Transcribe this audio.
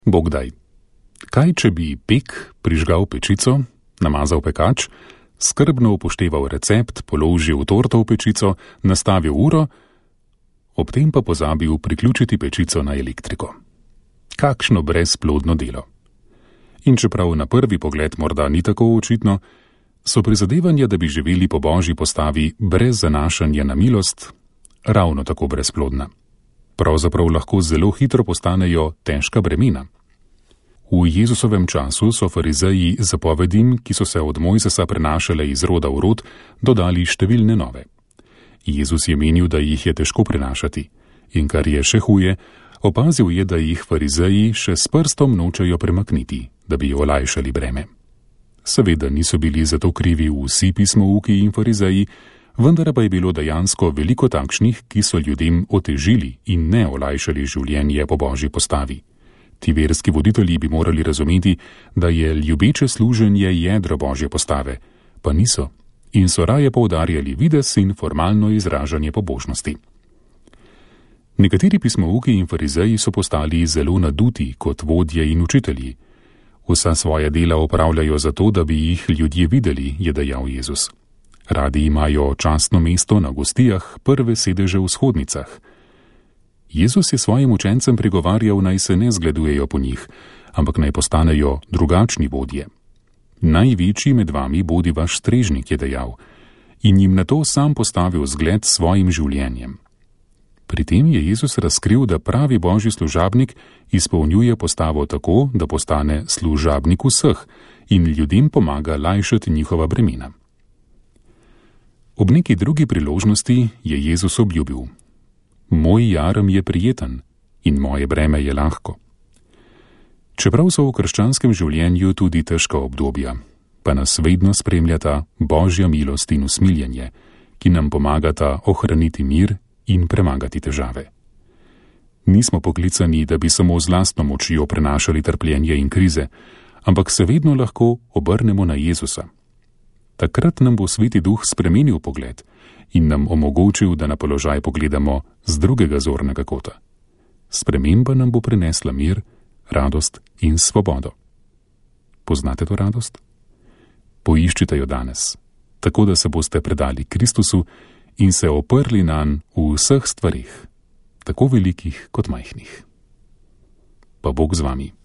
Bogdaj. Kaj, če bi pek prižgal pečico, namazal pekač, skrbno upošteval recept, položil torto v pečico, nastavil uro, ob tem pa pozabil priključiti pečico na elektriko? Kakšno brezplodno delo. In čeprav na prvi pogled morda ni tako očitno, so prizadevanja, da bi živeli po božji postavi brez zanašanja na milost, ravno tako brezplodna. Pravzaprav lahko zelo hitro postanejo težka bremena. V Jezusovem času so farizeji zapovedim, ki so se od Mojzesa prenašale iz roda v rod, dodali številne nove. Jezus je menil, da jih je težko prenašati, in kar je še huje, opazil je, da jih farizeji še s prstom nočejo premakniti, da bi olajšali breme. Seveda niso bili zato krivi vsi pismouki in farizeji, vendar pa je bilo dejansko veliko takšnih, ki so ljudem otežili in ne olajšali življenje po božji postavi. Ti verski voditelji bi morali razumeti, da je ljubeče služenje jedro božje postave, pa niso, in so raje poudarjali videz in formalno izražanje pobožnosti. Nekateri pismouki in farizeji so postali zelo naduti kot vodje in učitelji. Vsa svoja dela opravljajo zato, da bi jih ljudje videli, je dejal Jezus. Radi imajo častno mesto na gostijah, prve sedeže v shodnicah. Jezus je svojim učencem pregovarjal, naj se ne zgledujejo po njih, ampak naj postanejo drugačni vodje. Največji med vami bodi vaš strežnik, je dejal, in jim na to sam postavil zgled s svojim življenjem. Pri tem je Jezus razkril, da pravi božji služabnik izpolnjuje postavo tako, da postane služabnik vseh in ljudem pomaga lajšati njihova bremena. Ob neki drugi priložnosti je Jezus obljubil: Moj jarem je prijeten in moje breme je lahko. Čeprav so v krščanskem življenju tudi težka obdobja, pa nas vedno spremljata božja milost in usmiljenje, ki nam pomagata ohraniti mir in premagati težave. Nismo poklicani, da bi samo z lastno močjo prenašali trpljenje in krize, ampak se vedno lahko obrnemo na Jezusa. Takrat nam bo Sveti Duh spremenil pogled in nam omogočil, da na položaj pogledamo z drugega zornega kota. Sprememba nam bo prinesla mir, radost in svobodo. Poznate to radost? Poiščite jo danes, tako da se boste predali Kristusu in se oprli nanj v vseh stvarih, tako velikih kot majhnih. Pa Bog z vami.